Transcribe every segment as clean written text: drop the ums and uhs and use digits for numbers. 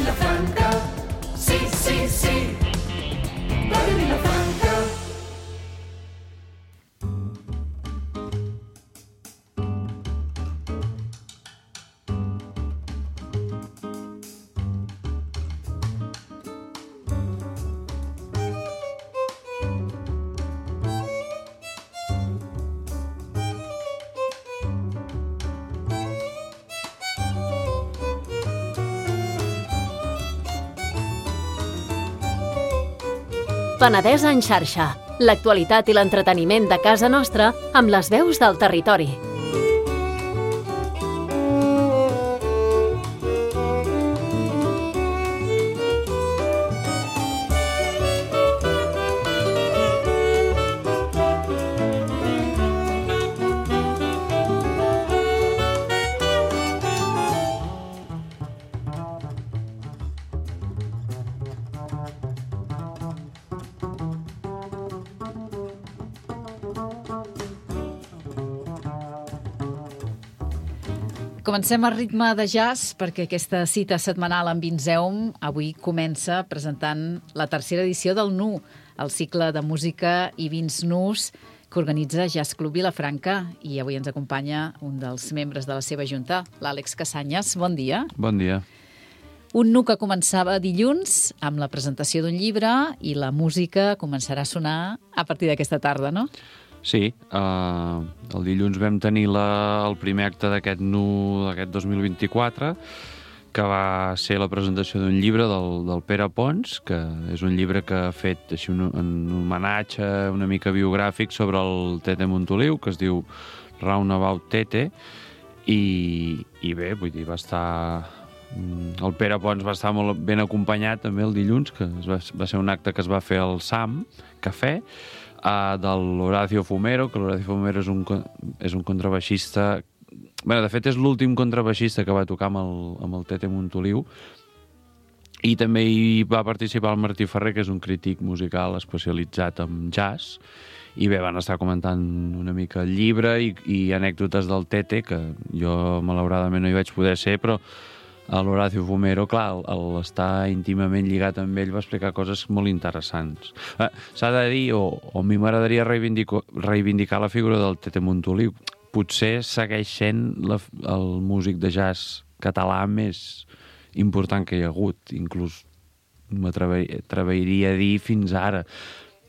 Vilafranca, sí, sí, sí, Ràdio Vilafranca. Penedès en xarxa, l'actualitat i l'entreteniment de casa nostra amb les veus del territori. Comencem a ritme de jazz perquè aquesta cita setmanal amb Vinzeum avui comença presentant la tercera edició del NU, el cicle de música i vins nus que organitza Jazz Club Vilafranca, i avui ens acompanya un dels membres de la seva junta, l'Àlex Casanyes. Bon dia. Bon dia. Un NU que començava dilluns amb la presentació d'un llibre i la música començarà a sonar a partir d'aquesta tarda, no? Sí, el dilluns vam tenir el primer acte d'aquest NU d'aquest 2024, que va ser la presentació d'un llibre del Pere Pons, que és un llibre que ha fet així un homenatge una mica biogràfic sobre el Tete Montoliu, que es diu Roundabout Tete, i bé, vull dir, va estar... El Pere Pons va estar molt ben acompanyat també el dilluns, que va ser un acte que es va fer al SAM Cafè, de l'Horacio Fumero, que l'Horacio Fumero és un contrabaixista... Bé, de fet, és l'últim contrabaixista que va tocar amb el Tete Montoliu, i també hi va participar el Martí Ferrer, que és un crític musical especialitzat en jazz, i bé, van estar comentant una mica el llibre i anècdotes del Tete, que jo malauradament no hi vaig poder ser, però l'Horacio Fumero, clar, l'estar íntimament lligat amb ell va explicar coses molt interessants. S'ha de dir, o a mi m'agradaria reivindicar la figura del Tete Montoliu. Potser segueix sent el músic de jazz català més important que hi ha hagut, inclús m'atreviria a dir fins ara.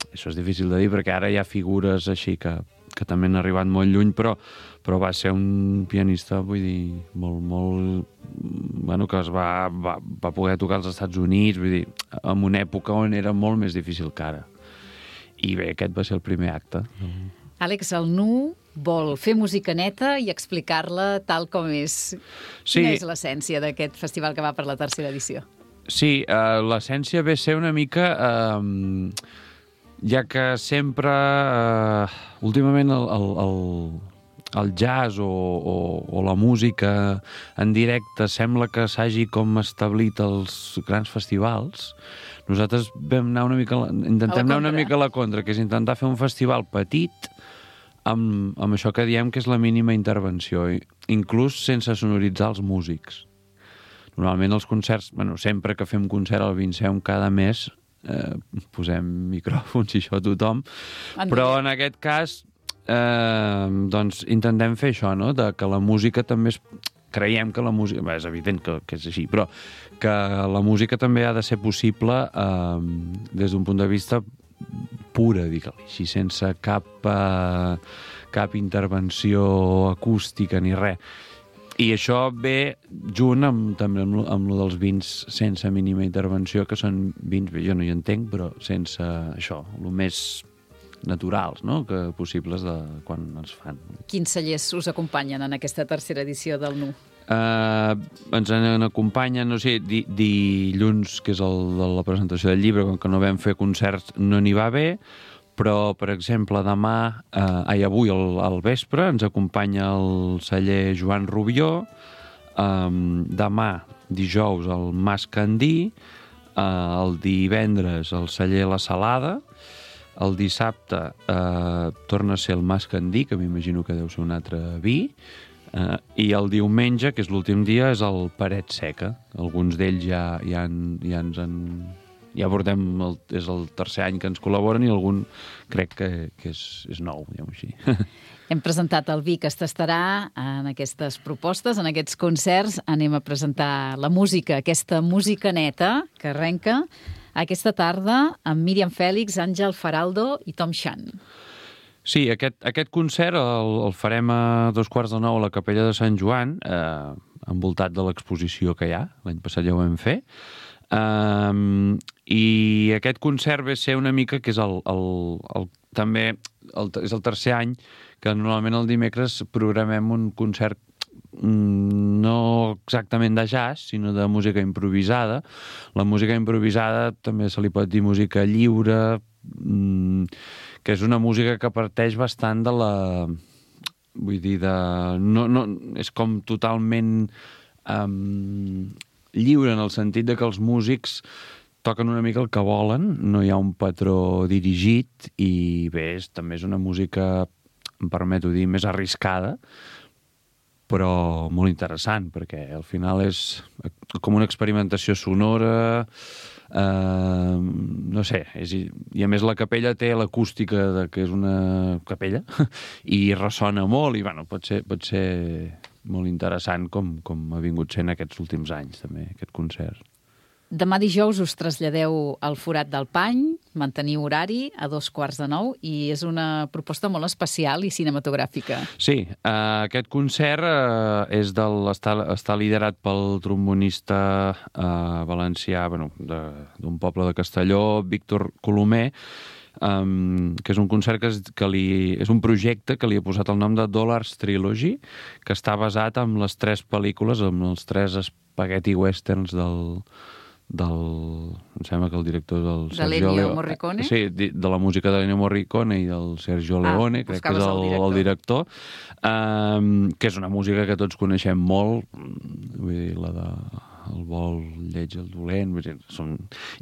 Això és difícil de dir perquè ara hi ha figures així que també han arribat molt lluny, però va ser un pianista, vull dir, molt... Bueno, que es va poder tocar als Estats Units, vull dir, en una època on era molt més difícil que ara. I bé, aquest va ser el primer acte. Àlex, el NU vol fer música neta i explicar-la tal com és. Sí. Quina és l'essència d'aquest festival que va per la tercera edició? Sí, l'essència ve a ser una mica... ja que sempre, últimament, el jazz o la música en directe sembla que s'hagi com establit els grans festivals, nosaltres vam anar intentem anar una mica a la contra, que és intentar fer un festival petit amb això que diem que és la mínima intervenció, inclús sense sonoritzar els músics. Normalment els concerts, sempre que fem concert al Vinceum cada mes, posem micròfons i això a tothom, però en aquest cas doncs intentem fer això, no? Que la música també creiem que la música... Bé, és evident que és així, però que la música també ha de ser possible des d'un punt de vista pura, digue-li així, sense cap intervenció acústica ni res. I això ve junt també amb lo dels vins sense mínima intervenció, que són vins, jo no hi entenc, però sense això, el més naturals, no?, que possibles de quan es fan. Quins cellers us acompanyen en aquesta tercera edició del NU? Ens acompanyen, no sé, dilluns, que és el de la presentació del llibre, com que no vam fer concerts, no n'hi va haver, però, per exemple, avui al vespre ens acompanya el celler Joan Rubió, demà, dijous, el Mas Candí, el divendres el celler La Salada, el dissabte torna a ser el Mas Candí, que m'imagino que deu ser un altre vi, I el diumenge, que és l'últim dia, és el Paret Seca. Alguns d'ells ja ens han... Ja portem... És el tercer any que ens col·laboren i algun crec que és nou, diguem-ho així. Hem presentat el Vi que es tastarà en aquestes propostes, en aquests concerts. Anem a presentar la música, aquesta música neta que arrenca aquesta tarda amb Míriam Fèlix, Àngel Faraldo i Tom Chan. Sí, aquest concert el farem a 8:45 a la Capella de Sant Joan, envoltat de l'exposició que hi ha. L'any passat ja ho vam fer. I aquest concert ve a ser una mica que és també és el tercer any que normalment el dimecres programem un concert no exactament de jazz, sinó de música improvisada. La música improvisada també se li pot dir música lliure, que és una música que parteix bastant de la... Vull dir, és com totalment lliure en el sentit de que els músics toquen una mica el que volen, no hi ha un patró dirigit i bé, també és una música, em permeto dir, més arriscada, però molt interessant, perquè al final és com una experimentació sonora, no sé, i a més la capella té l'acústica de que és una capella i ressona molt i bueno, pot ser molt interessant com ha vingut sent aquests últims anys també, aquest concert. Demà dijous us traslladeu al Forat del Pany, manteniu horari a 8:45 i és una proposta molt especial i cinematogràfica. Sí, aquest concert està liderat pel trombonista valencià d'un poble de Castelló, Víctor Colomer, que és un concert és un projecte que li ha posat el nom de Dollars Trilogy, que està basat en les 3 pel·lícules, en els 3 spaghetti westerns em sembla que el director del Sergio Ennio Morricone? Sí, de la música de l'Ennio Morricone i del Sergio Leone, crec que és el director, que és una música que tots coneixem molt, vull dir, la de el vol lleig el dolent, vull dir,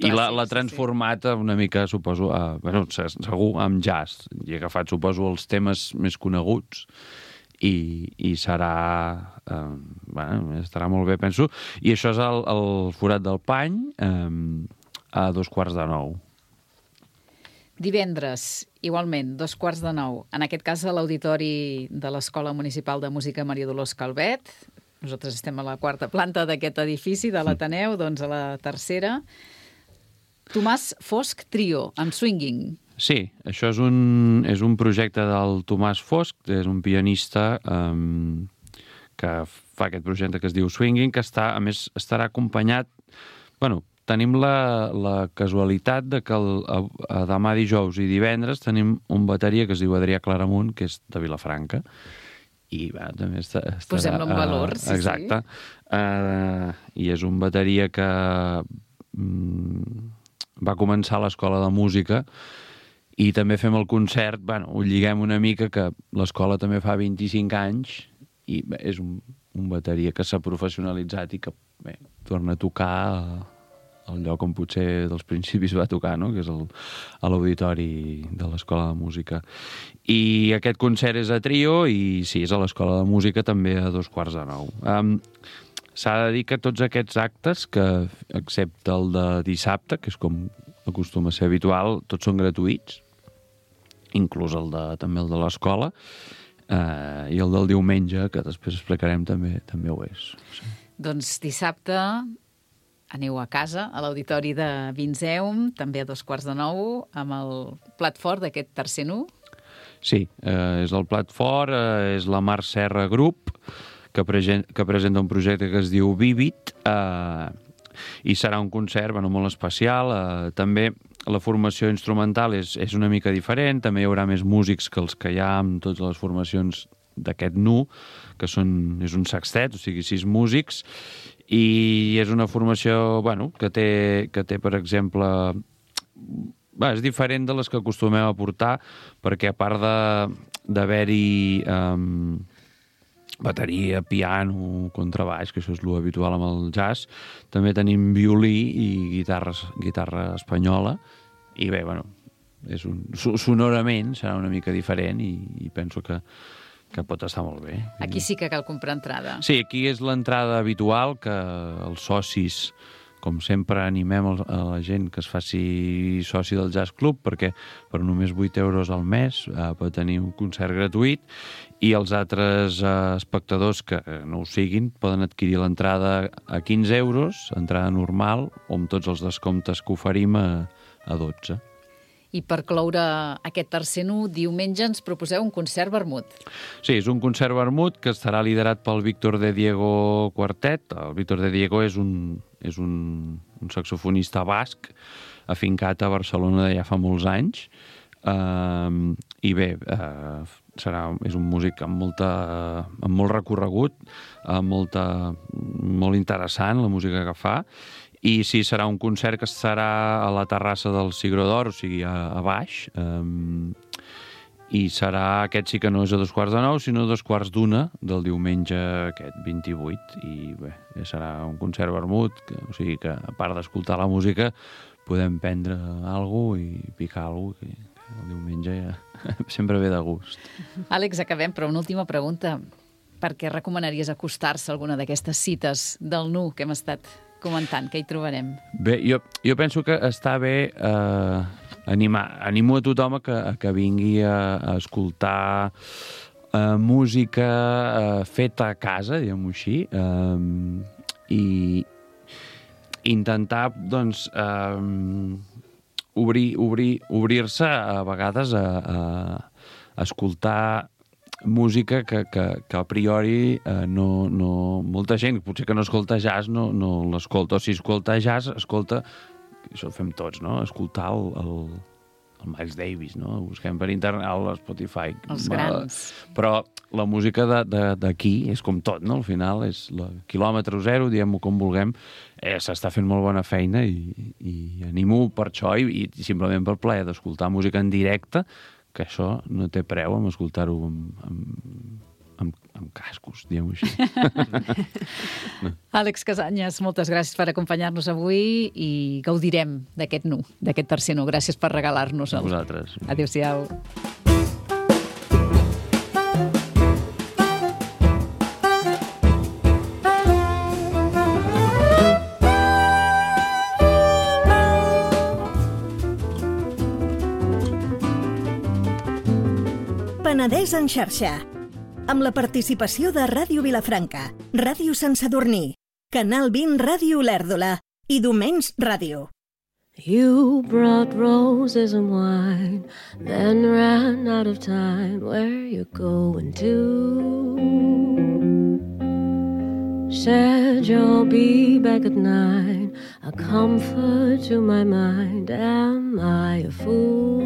i l'ha transformat una mica, suposo, segur, amb jazz, i ha agafat, suposo, els temes més coneguts, i estarà molt bé, penso. I això és el Forat del Pany a 8:45. Divendres, igualment, 8:45, en aquest cas a l'auditori de l'Escola Municipal de Música Maria Dolors Calvet. Nosaltres estem a la 4ª planta d'aquest edifici de l'Ateneu, doncs a la 3ª. Tomàs Fosc Trio, amb swinging. Sí, això és un projecte del Tomàs Fosc, és un pianista que fa aquest projecte que es diu Swinging, que a més estarà acompanyat... Tenim la casualitat de que demà dijous i divendres tenim un bateria que es diu Adrià Claramunt, que és de Vilafranca, i també estarà... Posem-lo en valor, sí. Exacte. I és un bateria que va començar a l'Escola de Música i també fem el concert, ho lliguem una mica, que l'escola també fa 25 anys i és un bateria que s'ha professionalitzat i que torna a tocar al lloc on potser dels principis va tocar, no? Que és a l'auditori de l'Escola de Música. I aquest concert és a trio i sí, és a l'Escola de Música també a 8:45. S'ha de dir que tots aquests actes, que excepte el de dissabte, que és com acostuma a ser habitual, tots són gratuïts, inclús també el de l'escola, i el del diumenge, que després explicarem, també ho és. Sí. Doncs dissabte aneu a casa, a l'auditori de Vinzeum, també a 8:45, amb el plat fort d'aquest tercer nu. Sí, és el plat fort, és la Mar Serra Group, que presenta un projecte que es diu Vivit, i serà un concert molt especial. També la formació instrumental és una mica diferent, també hi haurà més músics que els que hi ha amb totes les formacions d'aquest nu, que és un sextet, o sigui, 6 músics, i és una formació que té, per exemple... és diferent de les que acostumem a portar, perquè a part d'haver-hi bateria, piano, contrabaix, que això és l'habitual amb el jazz, també tenim violí i guitarra espanyola, i bé, sonorament serà una mica diferent i penso que pot estar molt bé. Aquí sí que cal comprar entrada. Sí, aquí és l'entrada habitual, que els socis, com sempre, animem a la gent que es faci soci del Jazz Club, perquè per només 8 euros al mes pot tenir un concert gratuït, i els altres espectadors que no ho siguin poden adquirir l'entrada a 15 euros, entrada normal, o amb tots els descomptes que oferim a 12. I per cloure aquest tercer nu, diumenge ens proposeu un concert vermut. Sí, és un concert vermut que estarà liderat pel Víctor de Diego Quartet. El Víctor de Diego és un saxofonista basc afincat a Barcelona de ja fa molts anys. I bé, és un músic amb molt recorregut, molt interessant la música que fa. I sí, serà un concert que estarà a la terrassa del Cigró d'Or, o sigui, a baix. I serà, aquest sí que no és a 8:45, sinó a 8:45 del diumenge aquest 28. I bé, serà un concert vermut, o sigui que a part d'escoltar la música podem prendre alguna cosa i picar alguna cosa, que el diumenge ja sempre ve de gust. Àlex, acabem, però una última pregunta. Per què recomanaries acostar-se a alguna d'aquestes cites del nu que hem estat comentant? Què hi trobarem? Bé, jo penso que està bé animo a tothom que vingui a escoltar música feta a casa, diguem-ho així, i intentar, doncs, obrir-se a vegades a escoltar música que a priori molta gent, potser que no escolta jazz, no l'escolta, o si escolta jazz, escolta, això ho fem tots, no? Escoltar el Miles Davis, no? Busquem per internet, a Spotify. Els grans. Però la música d'aquí és com tot, no? Al final és quilòmetre zero, diguem-ho com vulguem, s'està fent molt bona feina i animo per això i simplement pel plaer d'escoltar música en directe, que això no té preu amb escoltar-ho amb cascos, diguem-ho així. Àlex Casanyes, moltes gràcies per acompanyar-nos avui i gaudirem d'aquest nu, d'aquest tercer nu. Gràcies per regalar-nos-el. A vosaltres. Adéu-siau. Penedès en xarxa, amb la participació de Ràdio Vilafranca, Ràdio Sant Sadurní, Canal 20 Ràdio Olèrdola i Domens Ràdio. You brought roses and wine, then ran out of time. Where you going to? Said you'll be back at 9, a comfort to my mind. Am I a fool?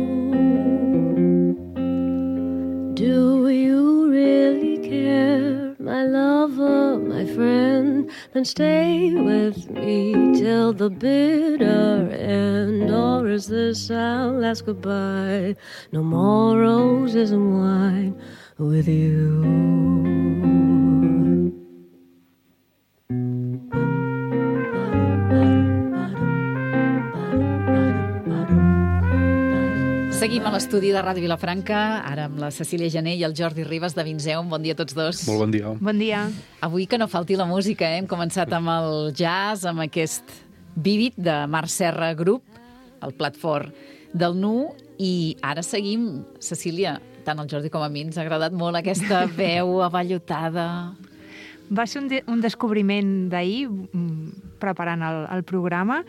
Do you really care, my lover, my friend? Then stay with me till the bitter end. Or is this our last goodbye? No more roses and wine with you. Seguim a l'estudi de Ràdio Vilafranca, ara amb la Cecília Jané i el Jordi Ribas de Vinzeum. Bon dia a tots dos. Molt bon dia. Bon dia. Avui que no falti la música, Hem començat amb el jazz, amb aquest Vivid de Marc Serra Group, el plat fort del nu, i ara seguim, Cecília, tant el Jordi com a mi ens ha agradat molt aquesta veu avallotada. Va ser un descobriment d'ahir, preparant el programa.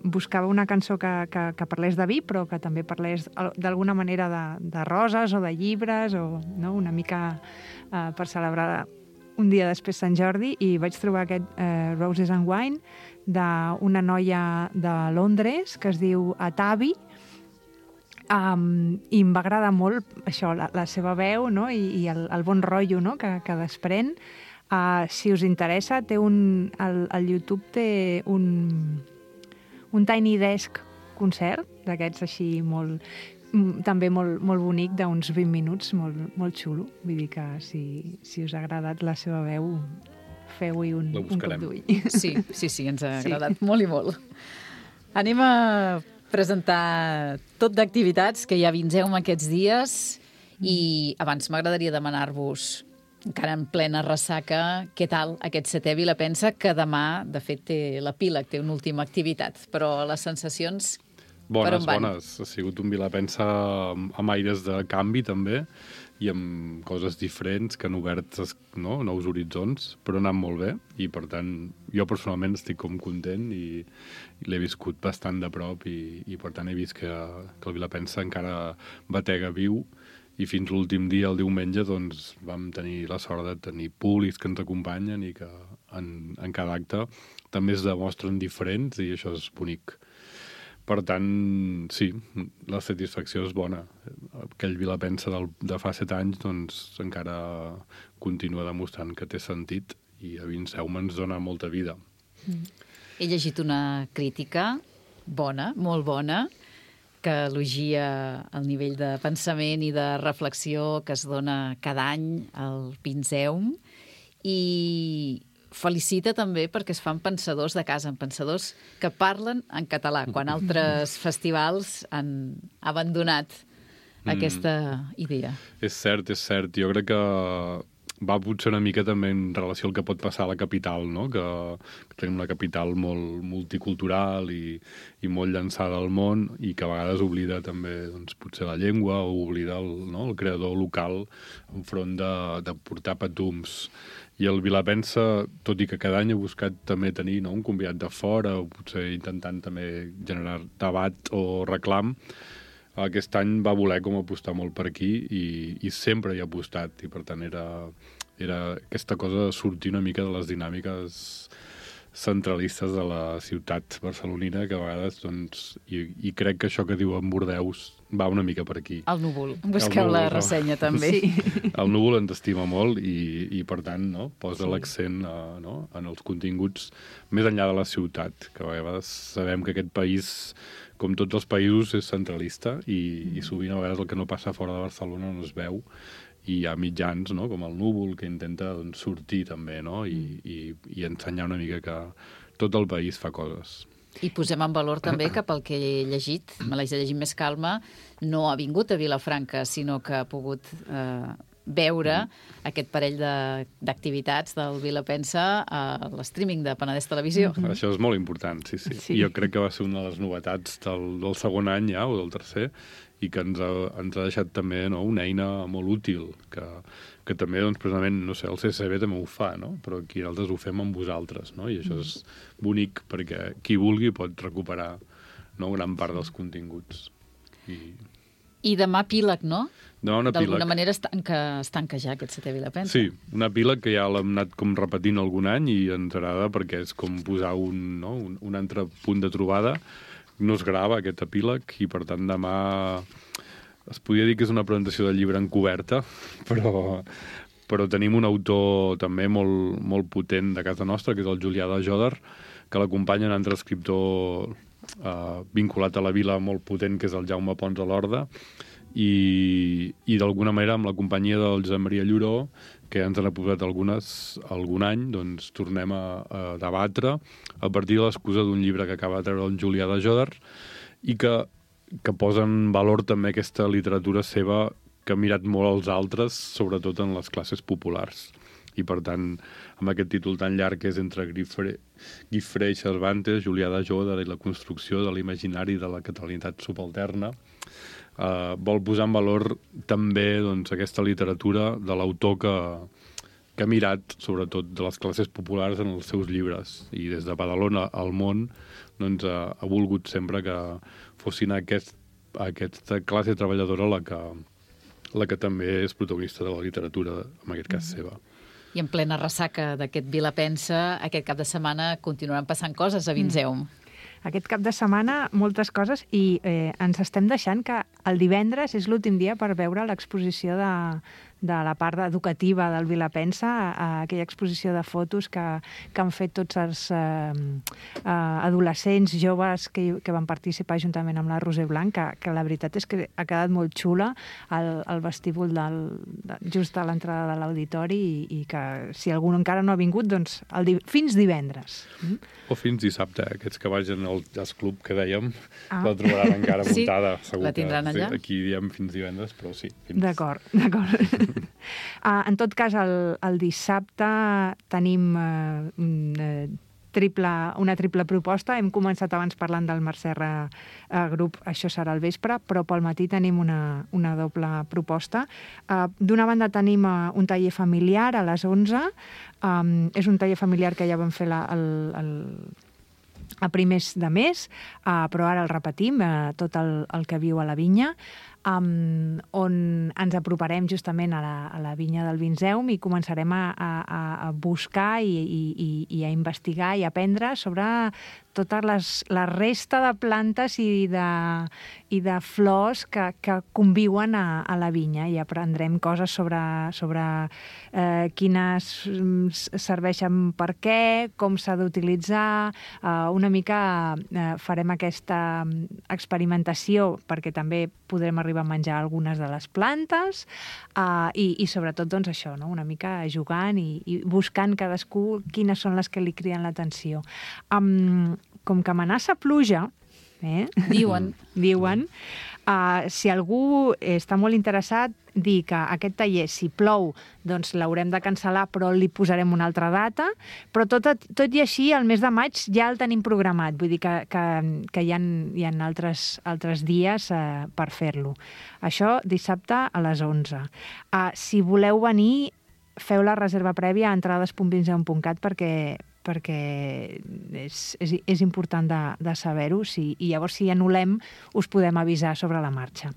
Buscava una cançó que parlés de vi, però que també parlés d'alguna manera de roses o de llibres, o no, una mica per celebrar un dia després Sant Jordi, i vaig trobar aquest Roses and Wine d'una noia de Londres que es diu Atavi, i em va agradar molt això, la seva veu, no? I el bon rotllo, no? que desprèn. Si us interessa, al YouTube té un Tiny Desk concert, d'aquests així també molt bonic, d'uns 20 minuts, molt xulo. Vull dir que si us ha agradat la seva veu, feu-hi un cop d'ull. Sí, ens ha agradat molt i molt. Anem a presentar tot d'activitats que hi ha a Vinzeum aquests dies, I abans m'agradaria demanar-vos, encara en plena ressaca, què tal aquest 7è Vilapensa, que demà, de fet, té l'epíleg, té una última activitat, però les sensacions per on van? Bones. Ha sigut un Vilapensa amb aires de canvi, també, i amb coses diferents que han obert nous horitzons, però ha anat molt bé, i per tant jo personalment estic com content i l'he viscut bastant de prop i per tant he vist que el Vilapensa encara batega viu, i fins l'últim dia, el diumenge, doncs vam tenir la sort de tenir públics que ens acompanyen i que en cada acte també es demostren diferents i això és bonic. Per tant, sí, la satisfacció és bona. Aquell Vilapensa de fa 7 anys doncs, encara continua demostrant que té sentit i a Vinseume ens dona molta vida. He llegit una crítica bona, molt bona, que elogia el nivell de pensament i de reflexió que es dona cada any al Vinseum i felicita també perquè es fan pensadors de casa, pensadors que parlen en català, quan altres festivals han abandonat aquesta idea. És cert. Jo crec que va potser una mica també en relació al que pot passar a la capital, no? Que tenim una capital molt multicultural i molt llançada al món i que a vegades oblida també doncs, potser la llengua o oblida el creador local enfront de portar patums. I el Vilapensa, tot i que cada any ha buscat també tenir un convidat de fora o potser intentant també generar debat o reclam, aquest any va voler com apostar molt per aquí i sempre hi ha apostat i per tant era aquesta cosa de sortir una mica de les dinàmiques centralistes de la ciutat barcelonina que a vegades, doncs, i crec que això que diu en Bordeus va una mica per aquí. El núvol. Busqueu la ressenya també. Sí. El núvol ens estima molt i per tant, posa l'accent en els continguts més enllà de la ciutat, que a vegades sabem que aquest país, com tots els països, és centralista i sovint a vegades el que no passa fora de Barcelona no es veu i hi ha mitjans, com el núvol, que intenta sortir també i ensenyar una mica que tot el país fa coses. I posem en valor també que pel que he llegit, me l'haig de llegir amb més calma, no ha vingut a Vilafranca, sinó que ha pogut veure aquest parell d'activitats del Vilapensa a l'streaming de Penedès Televisió. Això és molt important, sí. Jo crec que va ser una de les novetats del segon any ja, o del tercer, i que ens ha deixat també una eina molt útil, que també, doncs, precisament, no sé, el CCB també ho fa, però aquí nosaltres ho fem amb vosaltres, i això és bonic perquè qui vulgui pot recuperar gran part dels continguts. I demà epíleg, no? Demà un epíleg. D'alguna manera es tanca ja aquest 7è Vilapensa. Sí, un epíleg que ja l'hem anat com repetint algun any i ens agrada perquè és com posar un altre punt de trobada. No es grava aquest epíleg i per tant demà es podria dir que és una presentació del llibre encoberta, però tenim un autor també molt, molt potent de casa nostra, que és el Julià de Joder, que l'acompanya un altre escriptor vinculat a la vila molt potent, que és el Jaume Pons a l'Horda, i d'alguna manera amb la companyia del Josep Maria Lloró, que ens han posat algun any, doncs tornem a debatre a partir de l'excusa d'un llibre que acaba de treure el Julià de Joder i que posa en valor també aquesta literatura seva que ha mirat molt als altres, sobretot en les classes populars. I, per tant, amb aquest títol tan llarg que és entre Guifré i Cervantes, Julià de Joder i la construcció de l'imaginari de la catalanitat subalterna, vol posar en valor també aquesta literatura de l'autor que ha mirat, sobretot, de les classes populars en els seus llibres. I des de Badalona al món ha volgut sempre que fossin aquesta classe treballadora la que també és protagonista de la literatura, en aquest cas seva. I en plena ressaca d'aquest Vilapensa, aquest cap de setmana continuaran passant coses a Vinseum. Aquest cap de setmana, moltes coses, i ens estem deixant que el divendres és l'últim dia per veure l'exposició de la part educativa del Vilapensa, a aquella exposició de fotos que han fet tots els adolescents, joves que van participar juntament amb la Roser Blanc, que la veritat és que ha quedat molt xula el vestíbul just a l'entrada de l'auditori i que si algú encara no ha vingut, doncs fins divendres. O fins dissabte, aquests que vagin al jazz club que dèiem, la trobaran encara muntada. Sí, la tindran allà. Aquí diem fins divendres, però sí. D'acord. En tot cas, el dissabte tenim una triple proposta. Hem començat abans parlant del Mercerra Grup, això serà al vespre, però pel matí tenim una doble proposta. D'una banda tenim un taller familiar a les 11. És un taller familiar que ja vam fer a primers de mes, però ara el repetim, tot el que viu a la vinya, on ens aproparem justament a la vinya del Vinzeum i començarem a buscar i a investigar i a aprendre sobre tota la resta de plantes i de flors que conviuen a la vinya, i aprendrem coses sobre quines serveixen per què, com s'ha d'utilitzar. Una mica farem aquesta experimentació perquè també podrem arribar a menjar algunes de les plantes i sobretot doncs això, no? Una mica jugant i buscant cadascú quines són les que li criden l'atenció. Com que amenaça pluja, diuen, si algú està molt interessat, dir que aquest taller, si plou, doncs l'haurem de cancel·lar, però li posarem una altra data, però tot i així, el mes de maig ja el tenim programat, vull dir que hi ha altres dies per fer-lo. Això dissabte a les 11. Si voleu venir, feu la reserva prèvia a entrades.vinzeum.cat perquè és important de saber-ho, i llavors si anul·lem us podem avisar sobre la marxa.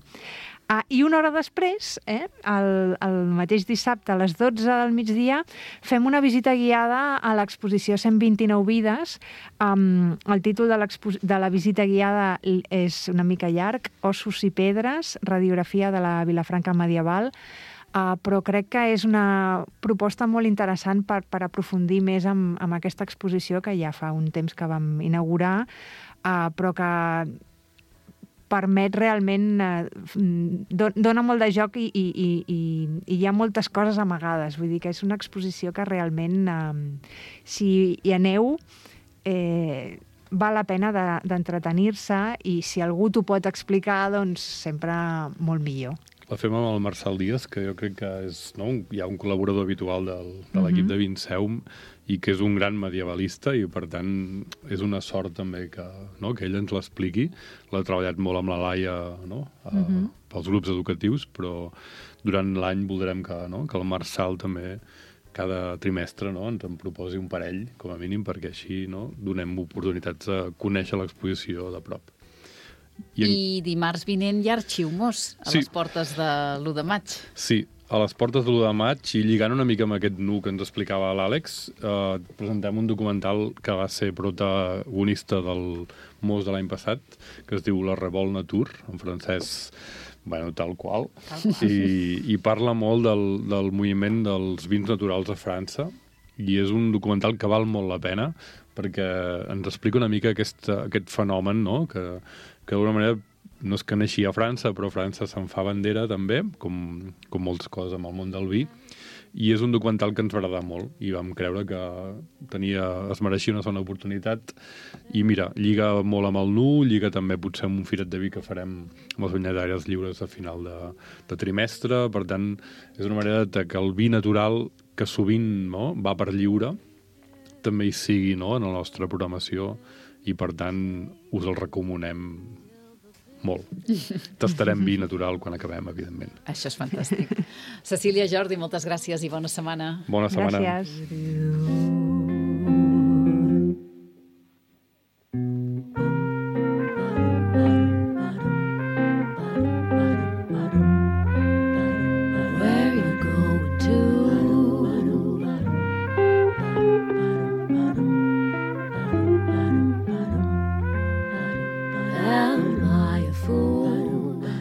I una hora després, el mateix dissabte a les 12 del migdia, fem una visita guiada a l'exposició 129 vides. El títol de la visita guiada és una mica llarg, Ossos i pedres, radiografia de la Vilafranca medieval, però crec que és una proposta molt interessant per aprofundir més amb aquesta exposició que ja fa un temps que vam inaugurar, però que permet realment, dona molt de joc i hi ha moltes coses amagades. Vull dir que és una exposició que realment, si hi aneu, val la pena d'entretenir-se, i si algú t'ho pot explicar, doncs sempre molt millor. La fem amb el Marçal Díaz, que jo crec que és ja un col·laborador habitual de l'equip de Vinzeum i que és un gran medievalista, i per tant és una sort també que ell ens l'expliqui. L'ha treballat molt amb la Laia pels grups educatius, però durant l'any voldrem que el Marçal també cada trimestre ens en proposi un parell, com a mínim, perquè així donem oportunitats de conèixer l'exposició de prop. I dimarts vinent hi ha Arxiu-Mos a les portes de l'1 de maig. Sí, a les portes de l'1 de maig, i lligant una mica amb aquest nu que ens explicava l'Àlex, presentem un documental que va ser protagonista del Mos de l'any passat, que es diu La Revolt Nature, en francès, tal qual, i parla molt del moviment dels vins naturals a França, i és un documental que val molt la pena, perquè ens explica una mica aquest fenomen, que d'alguna manera no és que neixi a França, però França se'n fa bandera també, com moltes coses amb el món del vi, i és un documental que ens va agradar molt, i vam creure que es mereixia una segona oportunitat, i mira, lliga molt amb el nu, lliga també potser amb un firet de vi que farem amb els vinyatàries lliures a final de trimestre. Per tant, és una manera que el vi natural, que sovint va per lliure, també hi sigui en la nostra programació, i per tant us el recomanem molt. Tastarem vi natural quan acabem, evidentment. Això és fantàstic. Cecília, Jordi, moltes gràcies i bona setmana. Bona setmana. Gràcies.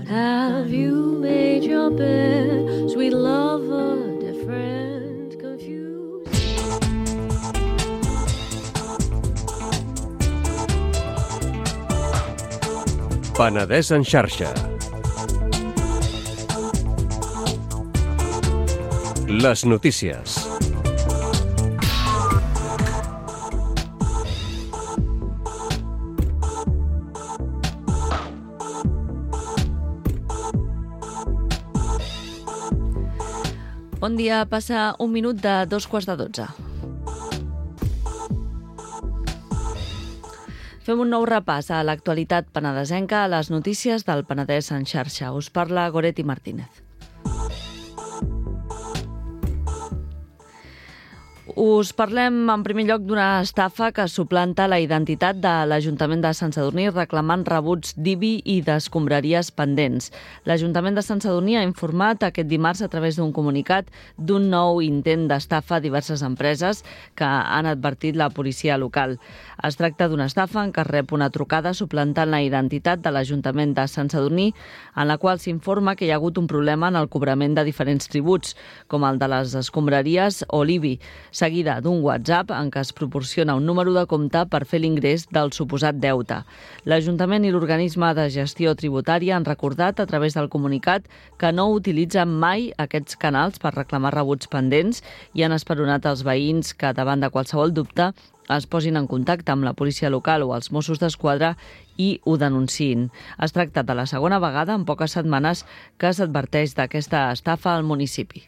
Have you made your bed, sweet lover? Penedès en xarxa. Les notícies. Bon dia, passa un minut de 2:15. Fem un nou repàs a l'actualitat penedesenca, a les notícies del Penedès en xarxa. Us parla Goretti Martínez. Us parlem en primer lloc d'una estafa que suplanta la identitat de l'Ajuntament de Sant Sadurní reclamant rebuts d'IBI i d'escombraries pendents. L'Ajuntament de Sant Sadurní ha informat aquest dimarts a través d'un comunicat d'un nou intent d'estafa a diverses empreses que han advertit la policia local. Es tracta d'una estafa en què es rep una trucada suplantant la identitat de l'Ajuntament de Sant Sadurní, en la qual s'informa que hi ha hagut un problema en el cobrament de diferents tributs, com el de les escombraries o l'IBI, seguida d'un WhatsApp en què es proporciona un número de compte per fer l'ingrés del suposat deute. L'Ajuntament i l'organisme de gestió tributària han recordat a través del comunicat que no utilitzen mai aquests canals per reclamar rebuts pendents i han esperonat els veïns que, davant de qualsevol dubte, es posin en contacte amb la policia local o els Mossos d'Esquadra i ho denunciïn. Es tracta de la segona vegada en poques setmanes que s'adverteix d'aquesta estafa al municipi.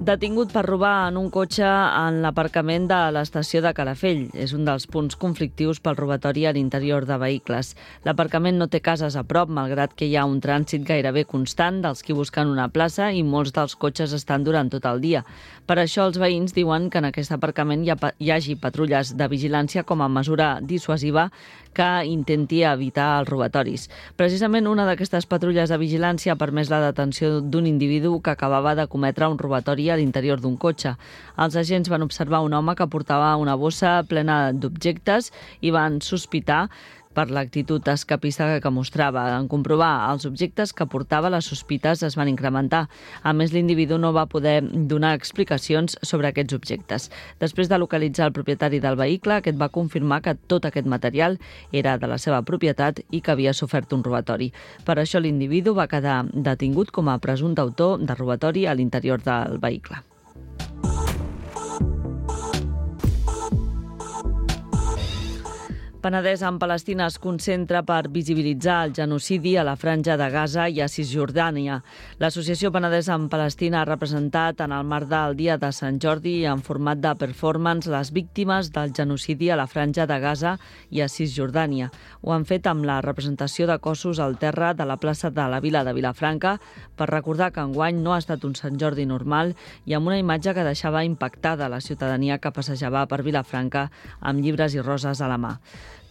Detingut per robar en un cotxe en l'aparcament de l'estació de Calafell. És un dels punts conflictius pel robatori a l'interior de vehicles. L'aparcament no té cases a prop, malgrat que hi ha un trànsit gairebé constant dels qui busquen una plaça i molts dels cotxes estan durant tot el dia. Per això els veïns diuen que en aquest aparcament hi hagi patrulles de vigilància com a mesura dissuasiva que intenti evitar els robatoris. Precisament una d'aquestes patrulles de vigilància ha permès la detenció d'un individu que acabava de cometre un robatori a l'interior d'un cotxe. Els agents van observar un home que portava una bossa plena d'objectes i van sospitar per l'actitud escapista que mostrava. En comprovar els objectes que portava, les sospites es van incrementar. A més, l'individu no va poder donar explicacions sobre aquests objectes. Després de localitzar el propietari del vehicle, aquest va confirmar que tot aquest material era de la seva propietat i que havia sofert un robatori. Per això l'individu va quedar detingut com a presumpte autor de robatori a l'interior del vehicle. Penedès en Palestina es concentra per visibilitzar el genocidi a la Franja de Gaza i a Cisjordània. L'Associació Penedès en Palestina ha representat en el marc del Dia de Sant Jordi en format de performance les víctimes del genocidi a la Franja de Gaza i a Cisjordània. Ho han fet amb la representació de cossos al terra de la plaça de la Vila de Vilafranca per recordar que enguany no ha estat un Sant Jordi normal i amb una imatge que deixava impactada la ciutadania que passejava per Vilafranca amb llibres i roses a la mà.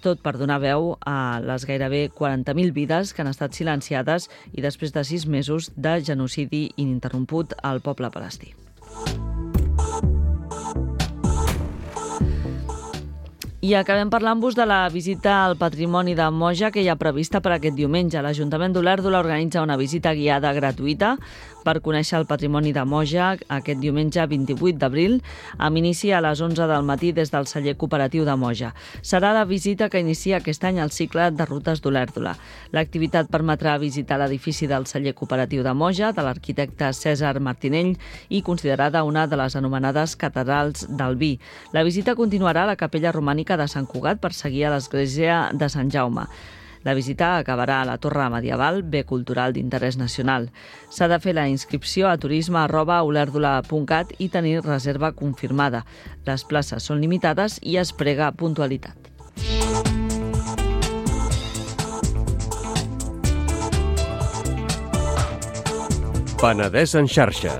Tot per donar veu a les gairebé 40.000 vides que han estat silenciades i després de 6 mesos de genocidi ininterromput al poble palestí. I acabem parlant-vos de la visita al patrimoni de Moja que hi ha prevista per aquest diumenge. L'Ajuntament d'Olèrdola organitza una visita guiada gratuïta per conèixer el patrimoni de Moja aquest diumenge 28 d'abril, amb inici a les 11 del matí des del celler cooperatiu de Moja. Serà la visita que inicia aquest any el cicle de rutes d'Olèrdola. L'activitat permetrà visitar l'edifici del celler cooperatiu de Moja, de l'arquitecte Cèsar Martinell, i considerada una de les anomenades catedrals del vi. La visita continuarà a la capella romànica de Sant Cugat per seguir a l'església de Sant Jaume. La visita acabarà a la Torre Medieval, bé cultural d'interès nacional. S'ha de fer la inscripció a turisme@olèrdola.cat i tenir reserva confirmada. Les places són limitades i es prega puntualitat. Penedès en xarxa.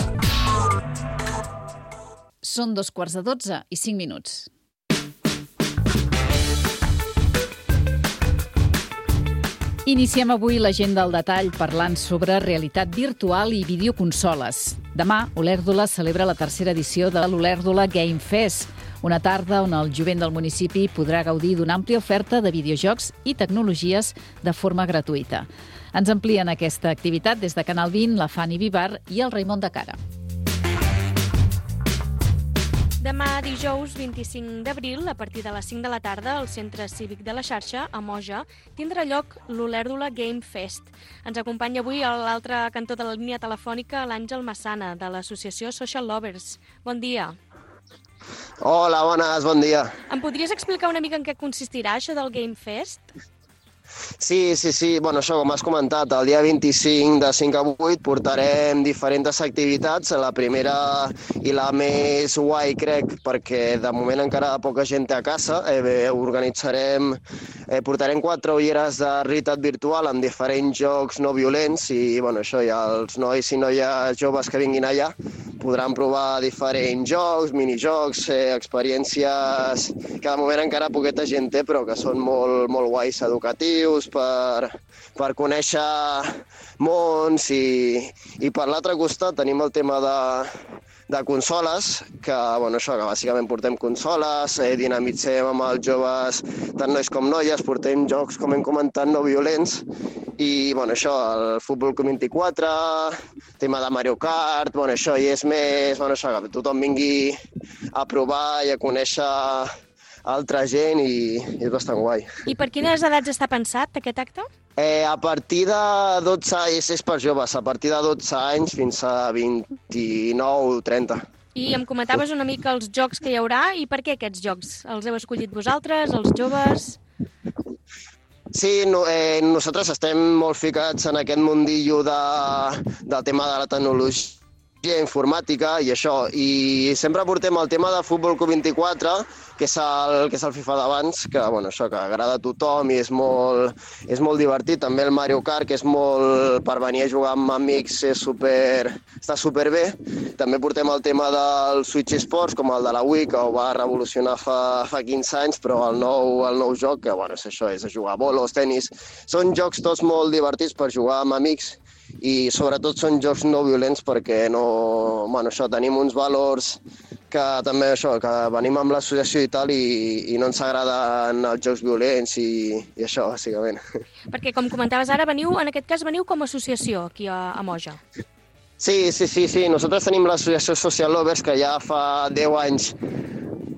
Són 12:15 . Iniciem avui l'agenda al detall parlant sobre realitat virtual i videoconsoles. Demà, Olèrdola celebra la tercera edició de l'Olèrdola Game Fest, una tarda on el jovent del municipi podrà gaudir d'una àmplia oferta de videojocs i tecnologies de forma gratuïta. Ens amplien aquesta activitat des de Canal 20, la Fanny Vivar i el Raimon de Cara. Demà dijous 25 d'abril, a partir de les 5 de la tarda, al Centre Cívic de la Xarxa, a Moja, tindrà lloc l'Olèrdola Game Fest. Ens acompanya avui a l'altre cantó de la línia telefònica l'Àngel Massana, de l'associació Social Lovers. Bon dia. Hola, bones, bon dia. Em podries explicar una mica en què consistirà això del Game Fest? Sí. Bueno, això, com has comentat, el dia 25 de 5 a 8 portarem diferents activitats. La primera i la més guai, crec, perquè de moment encara poca gent té a casa. Portarem 4 ulleres de realitat virtual amb diferents jocs no violents i, bueno, això, ja els nois i noies joves que vinguin allà podran provar diferents jocs, minijocs, experiències que de moment encara poqueta gent té, però que són molt, molt guais, educatius, per conèixer mons i per l'altre costat tenim el tema de consoles, que, bueno, això, que bàsicament portem consoles, dinamitzem amb els joves, tant nois com noies, portem jocs, com hem comentat, no violents, i, bueno, això, el futbol 24, tema de Mario Kart, bueno, això, i és més, bueno, això, que tothom vingui a provar i a conèixer altra gent i és bastant guai. I per quines edats està pensat aquest acte? A partir de 12 anys, és per joves, a partir de 12 anys fins a 29 o 30. I em comentaves una mica els jocs que hi haurà i per què aquests jocs? Els heu escollit vosaltres, els joves? Sí, nosaltres estem molt ficats en aquest mundillo del tema de la tecnologia informàtica i això, i sempre portem el tema de futbol 24, que és el FIFA d'abans, que, bueno, això, que agrada a tothom i és molt divertit. També el Mario Kart, que és molt per venir a jugar amb amics, està superbé. També portem el tema del Switch Sports, com el de la Wii, que ho va revolucionar fa 15 anys, però el nou joc, que, bueno, és això, és jugar a bolos, tenis. Són jocs tots molt divertits per jugar amb amics i sobretot són jocs no violents perquè tenim uns valors que també que venim amb l'associació i tal i no ens agraden els jocs violents i això, bàsicament. Perquè, com comentaves ara, en aquest cas veniu com a associació aquí a Moja. Sí. Nosaltres tenim l'associació Social Lovers, que ja fa 10 anys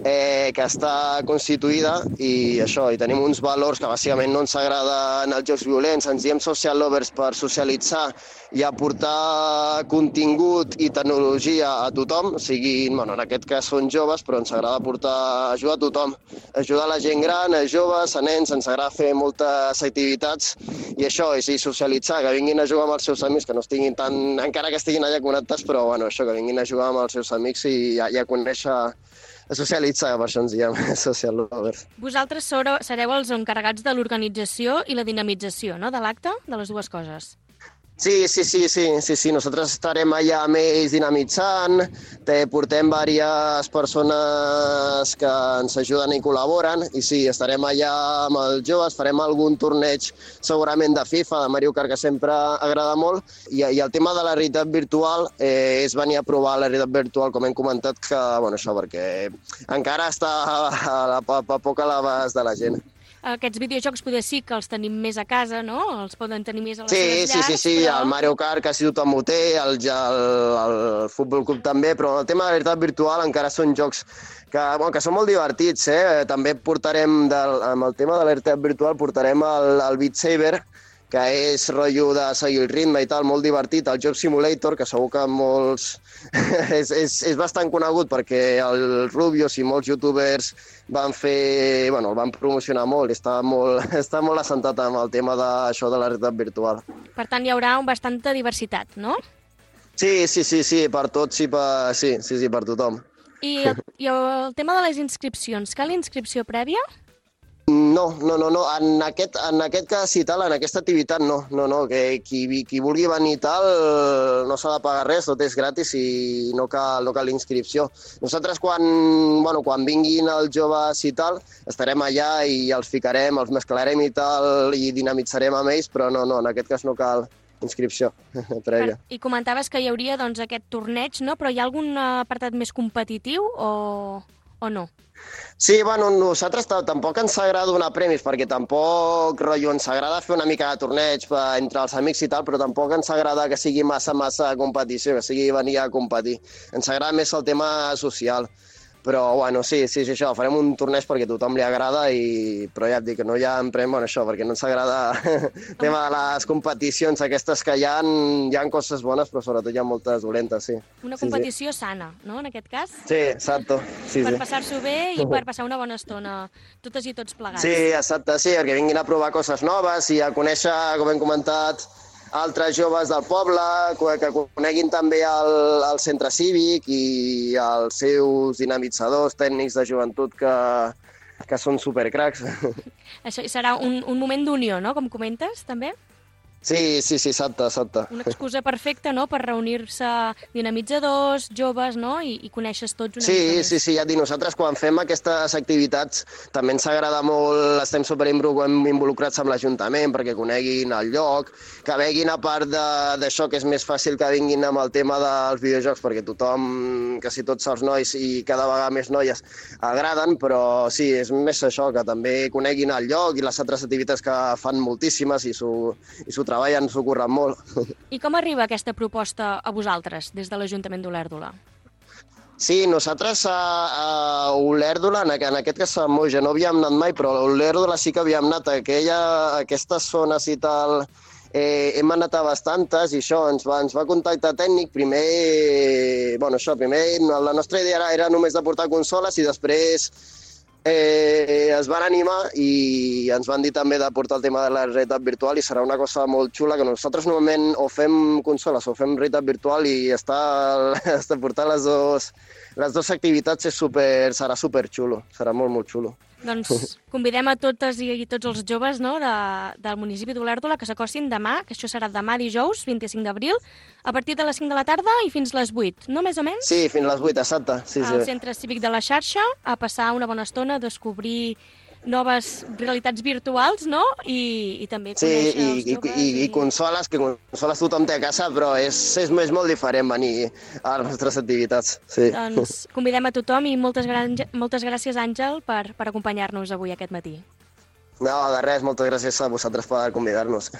que està constituïda i això, i tenim uns valors que bàsicament no ens agraden els jocs violents, ens diem Social Lovers per socialitzar i aportar contingut i tecnologia a tothom, o sigui, en aquest cas són joves, però ens agrada ajudar a tothom, ajudar a la gent gran, a joves, a nens, ens agrada fer moltes activitats i això, i socialitzar, que vinguin a jugar amb els seus amics, que no estiguin encara que estiguin allà connectats, però això, que vinguin a jugar amb els seus amics i a conèixer, a socialitzar, per això ens diem Social Lovers. Vosaltres sereu els encarregats de l'organització i la dinamització, no?, de l'acte, de les dues coses. Sí. Nosaltres estarem allà amb ells dinamitzant, portem diverses persones que ens ajuden i col·laboren, i sí, estarem allà amb els joves, farem algun torneig segurament de FIFA, de Mario Kart, que sempre agrada molt, i el tema de la realitat virtual és venir a provar la realitat virtual, com hem comentat, que, això, perquè encara està a poc a l'abast de la gent. Aquests videojocs poder sí que els tenim més a casa, no? Els poden tenir més a les seves llars. Sí, el Mario Kart quasi tothom ho té, el Futbol Club també, però el tema de la realitat virtual encara són jocs que són molt divertits. També portarem, amb el tema de la realitat virtual, portarem el Beat Saber, que és rotllo de seguir el ritme i tal, molt divertit, el Job Simulator, que segur que molts... és bastant conegut perquè el Rubius i molts youtubers el van promocionar molt, està molt assentat amb el tema d'això de la realitat virtual. Per tant, hi haurà bastanta diversitat, no? Sí, per tots, sí, per tothom. I el tema de les inscripcions, cal inscripció prèvia? No. En aquest cas i tal, en aquesta activitat no. Que qui vulgui venir i tal no s'ha de pagar res, tot és gratis i no cal inscripció. Nosaltres quan vinguin els joves i tal, estarem allà i els ficarem, els mesclarem i tal i dinamitzarem amb ells, però no, en aquest cas no cal inscripció prèvia. I comentaves que hi hauria aquest torneig, no? Però hi ha algun apartat més competitiu o no? Sí, nosaltres tampoc ens agrada donar premis, perquè tampoc ens agrada fer una mica de torneig entre els amics i tal, però tampoc ens agrada que sigui massa competició, que sigui venir a competir. Ens agrada més el tema social. Però, bueno, sí, això, farem un torneig perquè a tothom li agrada, però ja et dic que no hi ha emprem, bueno, això, perquè no ens agrada el tema de les competicions aquestes que hi ha coses bones, però sobretot hi ha moltes dolentes, sí. Una competició sana, no?, en aquest cas? Sí, exacte. Sí, per passar-s'ho bé i per passar una bona estona, totes i tots plegats. Sí, exacte, sí, perquè vinguin a provar coses noves i a conèixer, com hem comentat, altres joves del poble, que coneguin també el centre cívic i els seus dinamitzadors tècnics de joventut que són supercracs. Això serà un moment d'unió, no?, com comentes, també? Sí, exacte. Una excusa perfecta, no?, per reunir-se dinamitzadors, joves, no?, i conèixer tots una mica més. Sí, ja et dic, nosaltres quan fem aquestes activitats també ens agrada molt, estem involucrats amb l'Ajuntament perquè coneguin el lloc, que veguin a part d'això que és més fàcil que vinguin amb el tema dels videojocs perquè tothom, quasi tots els nois i cada vegada més noies agraden, però sí, és més això, que també coneguin el lloc i les altres activitats que fan moltíssimes i s'ho treballen, s'ho curren molt. I com arriba aquesta proposta a vosaltres, des de l'Ajuntament d'Olèrdola? Sí, nosaltres a Olèrdola, en aquest cas a Moja, no havíem anat mai, però a Olèrdola sí que havíem anat a aquestes zones i tal. Hem anat a bastantes i això, ens va contactar tècnic. Primer la nostra idea era només de portar consoles i després es van animar i ens van dir també de portar el tema de la realitat virtual i serà una cosa molt xula que nosaltres normalment o fem consoles o fem realitat virtual i portar les dues activitats serà superxulo, serà molt xulo. Doncs convidem a totes i tots els joves, no?, del municipi d'Olèrdola que s'acostin demà, que això serà demà dijous, 25 d'abril, a partir de les 5 de la tarda i fins les 8, no més o menys? Sí, fins les 8, exacte. Sí. Al Centre Cívic de la Xarxa, a passar una bona estona, a descobrir noves realitats virtuals, no?, i també conèixer els joves. Sí, i consoles, que consoles tothom té a casa, però és molt diferent venir a les nostres activitats. Sí. Doncs convidem a tothom i moltes gràcies, Àngel, per acompanyar-nos avui aquest matí. No, de res, moltes gràcies a vosaltres per convidar-nos.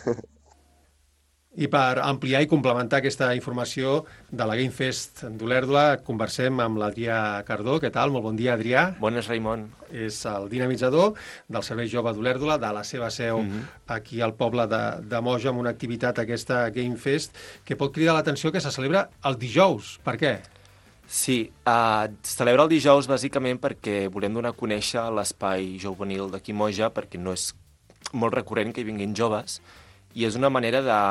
I per ampliar i complementar aquesta informació de la Game Fest d'Olèrdola, conversem amb l'Adrià Cardó. Què tal? Molt bon dia, Adrià. Bones, Raimon. És el dinamitzador del Servei Jove d'Olèrdola, de la seva seu aquí al poble de Moja, amb una activitat, aquesta Game Fest, que pot cridar l'atenció que se celebra el dijous. Per què? Sí, celebra el dijous bàsicament perquè volem donar a conèixer l'espai juvenil d'aquí Moja, perquè no és molt recurrent que hi vinguin joves, i és una manera de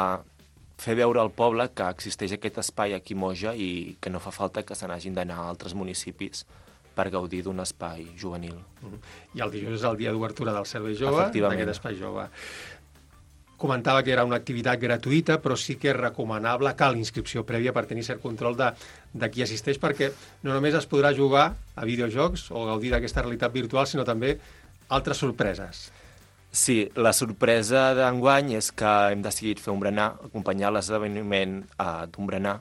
fer veure al poble que existeix aquest espai aquí a Moja i que no fa falta que se n'hagin d'anar a altres municipis per gaudir d'un espai juvenil. I el dijous és el dia d'obertura del Servei Jove, d'aquest espai jove. Comentava que era una activitat gratuïta, però sí que és recomanable, cal inscripció prèvia per tenir cert control de qui assisteix, perquè no només es podrà jugar a videojocs o gaudir d'aquesta realitat virtual, sinó també altres sorpreses. Sí, la sorpresa d'enguany és que hem decidit fer un berenar, acompanyar l'esdeveniment d'un berenar.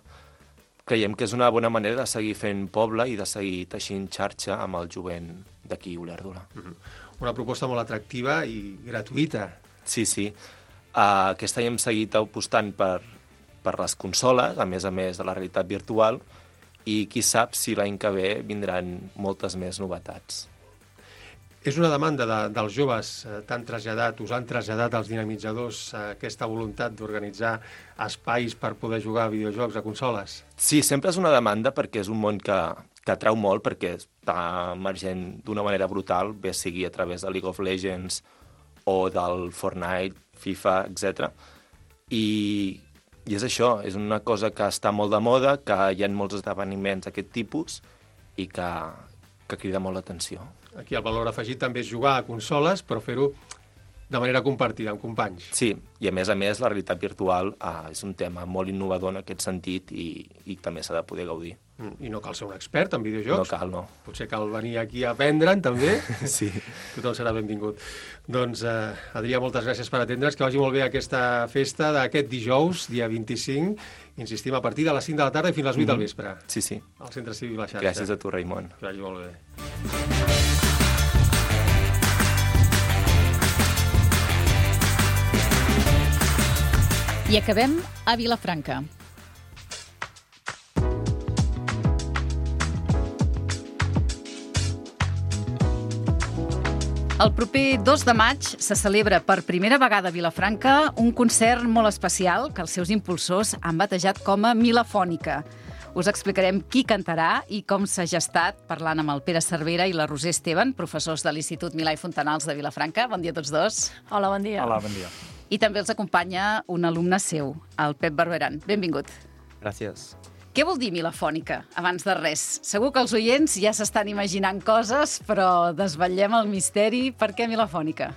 Creiem que és una bona manera de seguir fent poble i de seguir teixint xarxa amb el jovent d'aquí a Olèrdola. Una proposta molt atractiva i gratuïta. Sí. Aquest any hem seguit apostant per les consoles, a més de la realitat virtual, i qui sap si l'any que ve vindran moltes més novetats. És una demanda dels joves, us han traslladat als dinamitzadors aquesta voluntat d'organitzar espais per poder jugar a videojocs, a consoles? Sí, sempre és una demanda perquè és un món que atrau molt, perquè està emergent d'una manera brutal, bé sigui a través de League of Legends o del Fortnite, FIFA, etc. I és això, és una cosa que està molt de moda, que hi ha molts esdeveniments d'aquest tipus i que crida molt l'atenció. Aquí el valor afegit també és jugar a consoles, però fer-ho de manera compartida, amb companys. Sí, i a més, la realitat virtual és un tema molt innovador en aquest sentit i també s'ha de poder gaudir. I no cal ser un expert en videojocs. No cal, no. Potser cal venir aquí a aprendre'n, també. Sí. Tothom serà benvingut. Doncs, Adrià, moltes gràcies per atendre'ns, que vagi molt bé aquesta festa d'aquest dijous, dia 25, insistim, a partir de les 5 de la tarda i fins a les 8 del vespre. Sí. Al Centre Cívic La Xarxa. Gràcies a tu, Raimon. Que vagi molt bé. I acabem a Vilafranca. El proper 2 de maig se celebra per primera vegada a Vilafranca un concert molt especial que els seus impulsors han batejat com a Milafònica. Us explicarem qui cantarà i com s'ha gestat parlant amb el Pere Cervera i la Roser Esteban, professors de l'Institut Milà i Fontanals de Vilafranca. Bon dia a tots dos. Hola, bon dia. Hola, bon dia. I també els acompanya un alumne seu, el Pep Barberan. Benvingut. Gràcies. Què vol dir Milafònica, abans de res? Segur que els oients ja s'estan imaginant coses, però desvetllem el misteri. Per què Milafònica?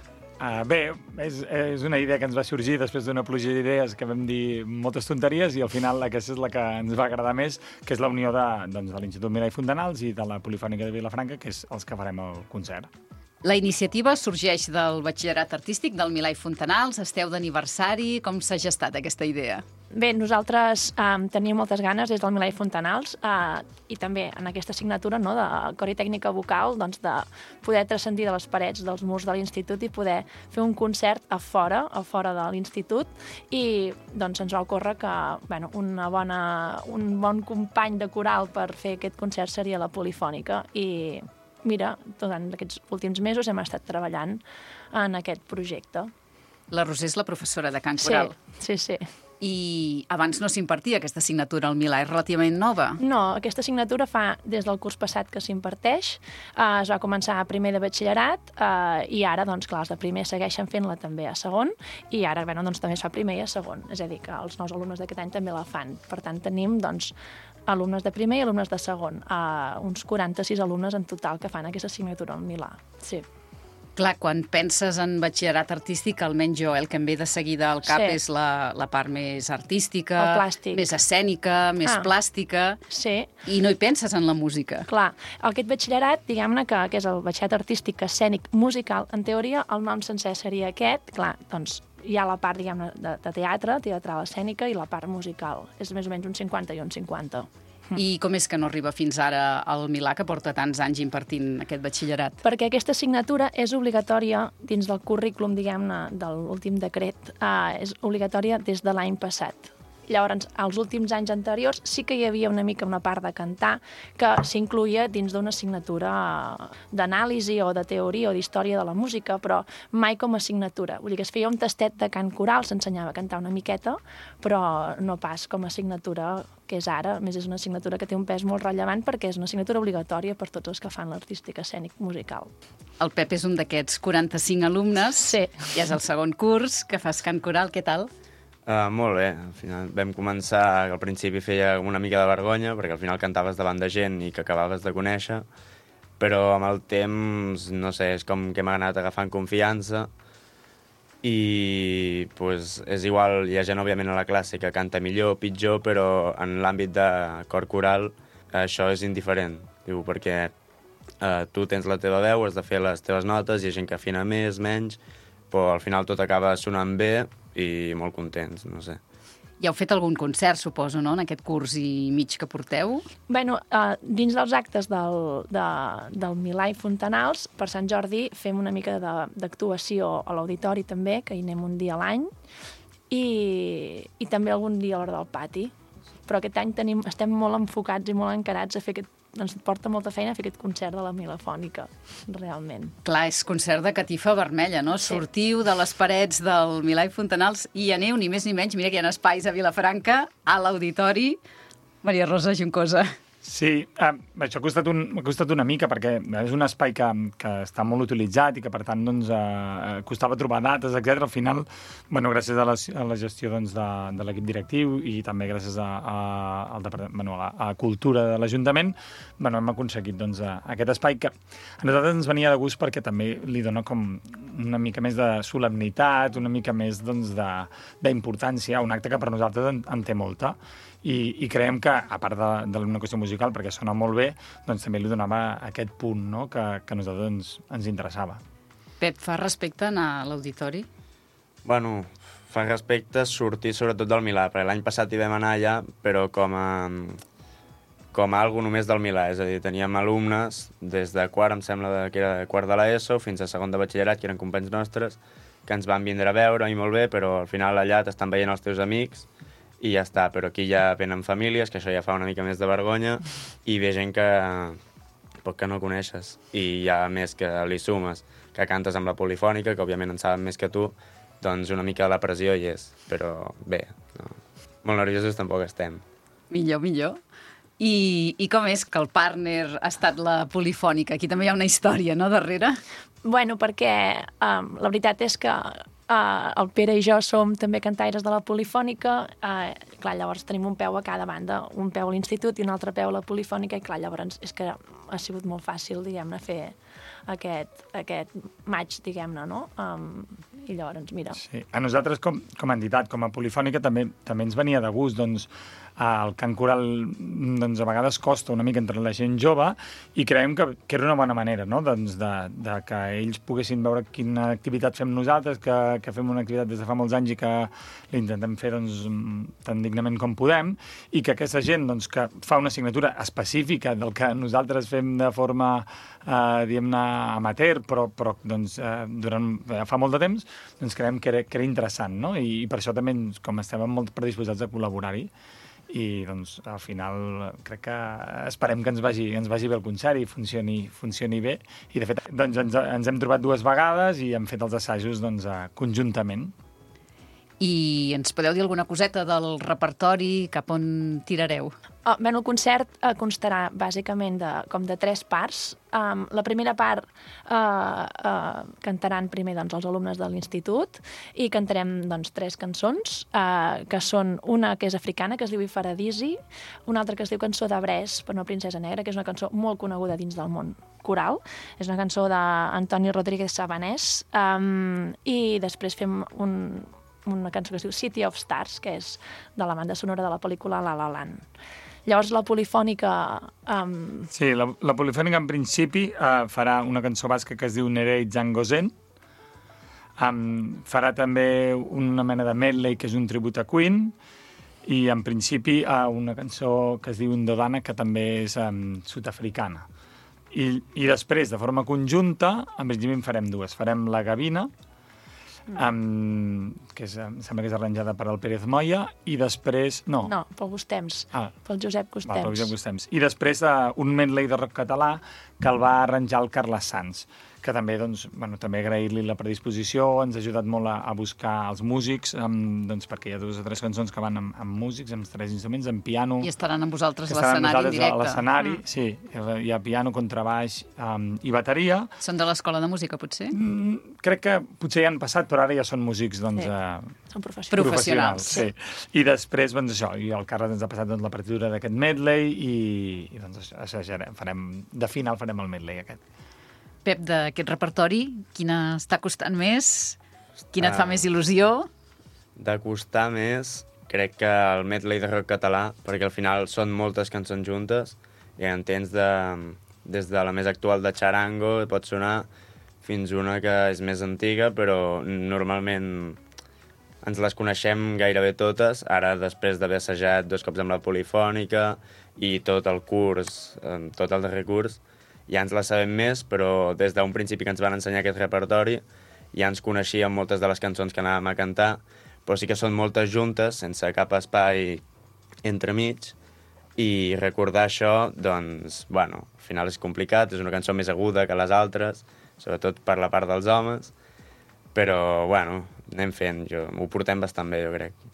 Bé, és una idea que ens va sorgir després d'una pluja d'idees que vam dir moltes tonteries i al final aquesta és la que ens va agradar més, que és la unió de l'Institut Milà i Fontanals i de la Polifònica de Vilafranca, que és els que farem el concert. La iniciativa sorgeix del batxillerat artístic del Milà i Fontanals. Esteu d'aniversari. Com s'ha gestat aquesta idea? Bé, nosaltres teníem moltes ganes des del Milà i Fontanals i també en aquesta assignatura de cor i tècnica vocal de poder transcendir de les parets dels murs de l'institut i poder fer un concert a fora de l'institut i ens va ocórrer que un bon company de coral per fer aquest concert seria la Polifònica i mira, durant aquests últims mesos hem estat treballant en aquest projecte. La Roser és la professora de cant coral. Sí. I abans no s'impartia aquesta assignatura al Milà, és relativament nova. No, aquesta assignatura fa des del curs passat que s'imparteix, es va començar a primer de batxillerat i ara, clar, els de primer segueixen fent-la també a segon i ara, també es fa primer i a segon, és a dir, que els nous alumnes d'aquest any també la fan. Per tant, tenim, alumnes de primer i alumnes de segon, uns 46 alumnes en total que fan aquesta assignatura al Milà, sí. Clar, quan penses en batxillerat artístic, almenys jo, el que em ve de seguida al cap és la part més artística, més escènica, més plàstica, i no hi penses en la música. Clar, aquest batxillerat, diguem-ne que és el batxillerat artístic escènic musical, en teoria el nom sencer seria aquest, clar, hi ha la part, diguem-ne, de teatre, teatral escènica, i la part musical. És més o menys un 50 i un 50. I com és que no arriba fins ara al Milà, que porta tants anys impartint aquest batxillerat? Perquè aquesta assignatura és obligatòria dins del currículum, diguem-ne, de l'últim decret, és obligatòria des de l'any passat. Llavors, als últims anys anteriors sí que hi havia una mica una part de cantar que s'incluïa dins d'una assignatura d'anàlisi o de teoria o d'història de la música, però mai com a assignatura. Vull dir que es feia un tastet de cant coral, s'ensenyava a cantar una miqueta, però no pas com a assignatura que és ara. A més, és una assignatura que té un pes molt rellevant perquè és una assignatura obligatòria per tots els que fan l'artístic escènic musical. El Pep és un d'aquests 45 alumnes. Sí. I és el segon curs que fas cant coral. Què tal? Molt bé. Al final vam començar, que al principi feia una mica de vergonya, perquè al final cantaves davant de gent i que acabaves de conèixer, però amb el temps, no sé, és com que m'ha anat agafant confiança i és igual, hi ha gent, òbviament, a la classe que canta millor o pitjor, però en l'àmbit de cor coral això és indiferent, perquè tu tens la teva veu, has de fer les teves notes, hi ha gent que afina més, menys, però al final tot acaba sonant bé i molt contents, no sé. Ja heu fet algun concert, suposo, no?, en aquest curs i mig que porteu? Dins dels actes del Milà i Fontanals, per Sant Jordi fem una mica d'actuació a l'auditori també, que hi anem un dia a l'any, i també algun dia a l'hora del pati. Però aquest any estem molt enfocats i molt encarats a fer aquest ens porta molta feina fer aquest concert de la Milafònica, realment. Clar, és concert de catifa vermella, no? Sí. Sortiu de les parets del Milà i Fontanals i aneu, ni més ni menys, mira que hi ha espais a Vilafranca, a l'auditori. Maria Rosa Juncosa. Sí, això m'ha costat una mica perquè és un espai que està molt utilitzat i que per tant costava trobar dates, etc. Al final, gràcies a la gestió de l'equip directiu i també gràcies a la cultura de l'Ajuntament, hem aconseguit aquest espai que a nosaltres ens venia de gust perquè també li dona com una mica més de solemnitat, una mica més d'importància, un acte que per nosaltres en té molta. I creiem que, a part d'una qüestió musical, perquè sona molt bé, també li donava aquest punt que a nosaltres ens interessava. Pep, fa respecte anar a l'auditori? Bueno, fa respecte sortir sobretot del Milà, perquè l'any passat hi vam anar allà, però com a algo només del Milà, és a dir, teníem alumnes des de quart, em sembla que era quart de l'ESO, fins a segon de batxillerat, que eren companys nostres, que ens van vindre a veure i molt bé, però al final allà t'estan veient els teus amics i ja està, però aquí ja venen famílies, que això ja fa una mica més de vergonya, i ve gent que no coneixes, i ja més que li sumes, que cantes amb la polifònica, que òbviament en saben més que tu, doncs una mica de la pressió hi és. Però bé, no. Molt nerviosos tampoc estem. Millor. I com és que el partner ha estat la polifònica? Aquí també hi ha una història, no, darrere? Bueno, perquè la veritat és que el Pere i jo som també cantaires de la polifònica. Clar, llavors tenim un peu a cada banda, un peu a l'institut i un altre peu a la polifònica, i clar, llavors és que ha sigut molt fàcil, diguem-ne, fer aquest match, diguem-ne, no? I llavors, mira... Sí. A nosaltres, com a entitat, com a polifònica, també ens venia de gust, doncs, el cant coral doncs, a vegades costa una mica entre la gent jove i creiem que era una bona manera, no? Doncs de que ells poguessin veure quina activitat fem nosaltres, que fem una activitat des de fa molts anys i que l'intentem fer doncs, tan dignament com podem, i que aquesta gent doncs, que fa una assignatura específica del que nosaltres fem de forma diguem-ne amateur, però doncs, durant fa molt de temps, doncs creiem que era interessant, no? I per això també, com estem molt predisposats a col·laborar-hi, i doncs al final crec que esperem que ens vagi bé el concert i funcioni bé, i de fet doncs, ens hem trobat 2 vegades i hem fet els assajos doncs, conjuntament. I ens podeu dir alguna coseta del repertori, cap on tirareu? Bé, el concert constarà bàsicament com de 3 parts. La primera part cantaran primer doncs, els alumnes de l'institut i cantarem doncs, 3 cançons, que són una que és africana, que es diu Ifaradisi, una altra que es diu Cançó de Brés per una princesa negra, que és una cançó molt coneguda dins del món coral. És una cançó d'Antoni Rodríguez Sabanés, i després fem una cançó que es diu City of Stars, que és de la banda sonora de la pel·lícula La La Land. Llavors la polifònica... Sí, la polifònica en principi farà una cançó basca que es diu Nerei Zangozen. Farà també una mena de medley que és un tribut a Queen, i en principi una cançó que es diu Ndodana, que també és sud-africana. I després, de forma conjunta, en principi en farem 2. Farem la Gavina, que sembla que és arranjada per el Pérez Moya, i després... No, pel Gustems, pel Josep Gustems. Pel Josep Gustems. I després un medley de rock català que el va arranjar el Carles Sans, que també, doncs, també agrair-li la predisposició, ens ha ajudat molt a buscar els músics, doncs, perquè hi ha 2 o 3 cançons que van amb músics, amb 3 instruments, amb piano... I estaran amb vosaltres a l'escenari en directe. A l'escenari, sí. Hi ha piano, contrabaix i bateria. Són de l'escola de música, potser? Crec que potser hi han passat, però ara ja són músics, doncs... Són professionals. Sí. I després, doncs, això, i el Carles ens ha passat doncs, la partitura d'aquest medley i doncs, de final farem el medley aquest. Pep, d'aquest repertori, quina està costant més? Quina et fa més il·lusió? De costar més, crec que el medley de rock català, perquè al final són moltes cançons juntes i en tens des de la més actual de Charango, pot sonar, fins una que és més antiga, però normalment ens les coneixem gairebé totes. Ara, després d'haver assajat 2 cops amb la polifònica i tot el curs, tot el darrer curs, ja ens la sabem més, però des d'un principi que ens van ensenyar aquest repertori ja ens coneixíem moltes de les cançons que anàvem a cantar, però sí que són moltes juntes, sense cap espai entremig, i recordar això, doncs, bueno, al final és complicat, és una cançó més aguda que les altres, sobretot per la part dels homes, però, bueno, anem fent, ho portem bastant bé, jo crec.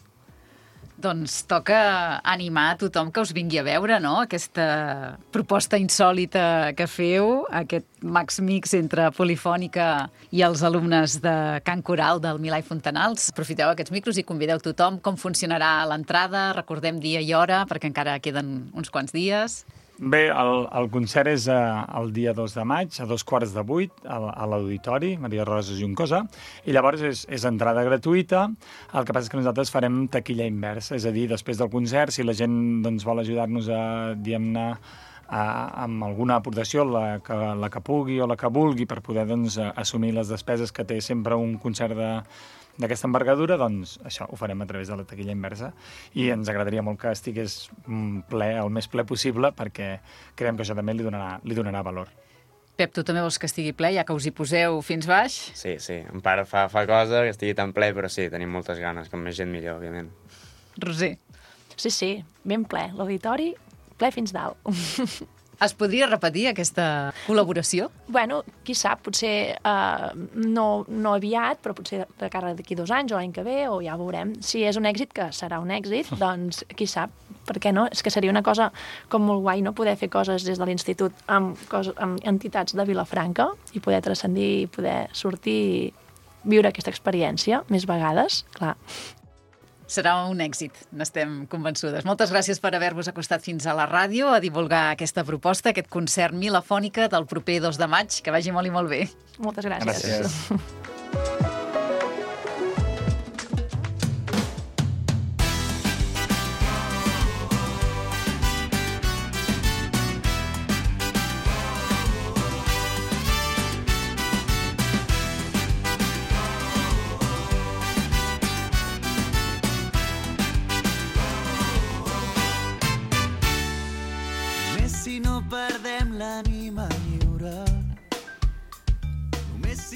Doncs toca animar a tothom que us vingui a veure, no?, aquesta proposta insòlita que feu, aquest max mix entre polifònica i els alumnes de cant coral del Milà i Fontanals. Aprofiteu aquests micros i convideu tothom. Com funcionarà l'entrada? Recordem dia i hora, perquè encara queden uns quants dies. Bé, el concert és el dia 2 de maig, a 7:15 a l'Auditori, Maria Roses Juncosa, i llavors és entrada gratuïta. El que passa és que nosaltres farem taquilla inversa, és a dir, després del concert, si la gent doncs, vol ajudar-nos diguem-ne, amb alguna aportació, la que pugui o la que vulgui, per poder doncs, assumir les despeses que té sempre un concert d'aquesta envergadura, doncs això ho farem a través de la taquilla inversa, i ens agradaria molt que estigués ple, el més ple possible, perquè creiem que això també li donarà valor. Pep, tu també vols que estigui ple, ja que us hi poseu fins baix? Sí, en part fa cosa que estigui tan ple, però sí, tenim moltes ganes, com més gent millor, òbviament. Roser. Sí, ben ple. L'auditori ple fins dalt. Es podria repetir aquesta col·laboració? Bueno, qui sap, potser no aviat, però potser de cara d'aquí 2 anys o l'any que ve, o ja veurem. Si és un èxit, que serà un èxit, doncs qui sap, per què no? És que seria una cosa com molt guai, no? Poder fer coses des de l'institut amb entitats de Vilafranca i poder transcendir i poder sortir i viure aquesta experiència més vegades, clar. Serà un èxit, n'estem convençudes. Moltes gràcies per haver-vos acostat fins a la ràdio a divulgar aquesta proposta, aquest concert Milafònica del proper 2 de maig. Que vagi molt i molt bé. Moltes gràcies.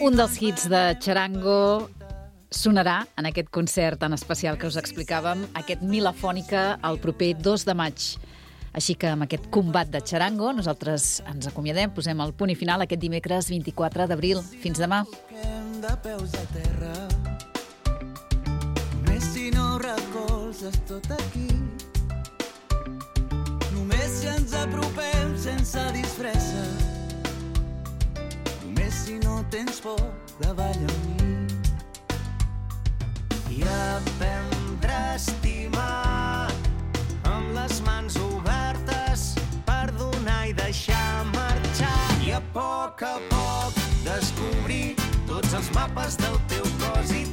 Un dels hits de Charango sonarà en aquest concert tan especial que us explicàvem, aquest Milafònica, el proper 2 de maig. Així que amb aquest combat de Charango nosaltres ens acomiadem, posem el punt i final aquest dimecres 24 d'abril. Fins demà. De peus a terra, només si no recolzes tot aquí, només si ens apropem sense disfressa, només si no tens por de ballar amb mi, i aprendre a estimar amb les mans obertes per donar i deixar marxar, i a poc descobrir tots els mapes del teu cos i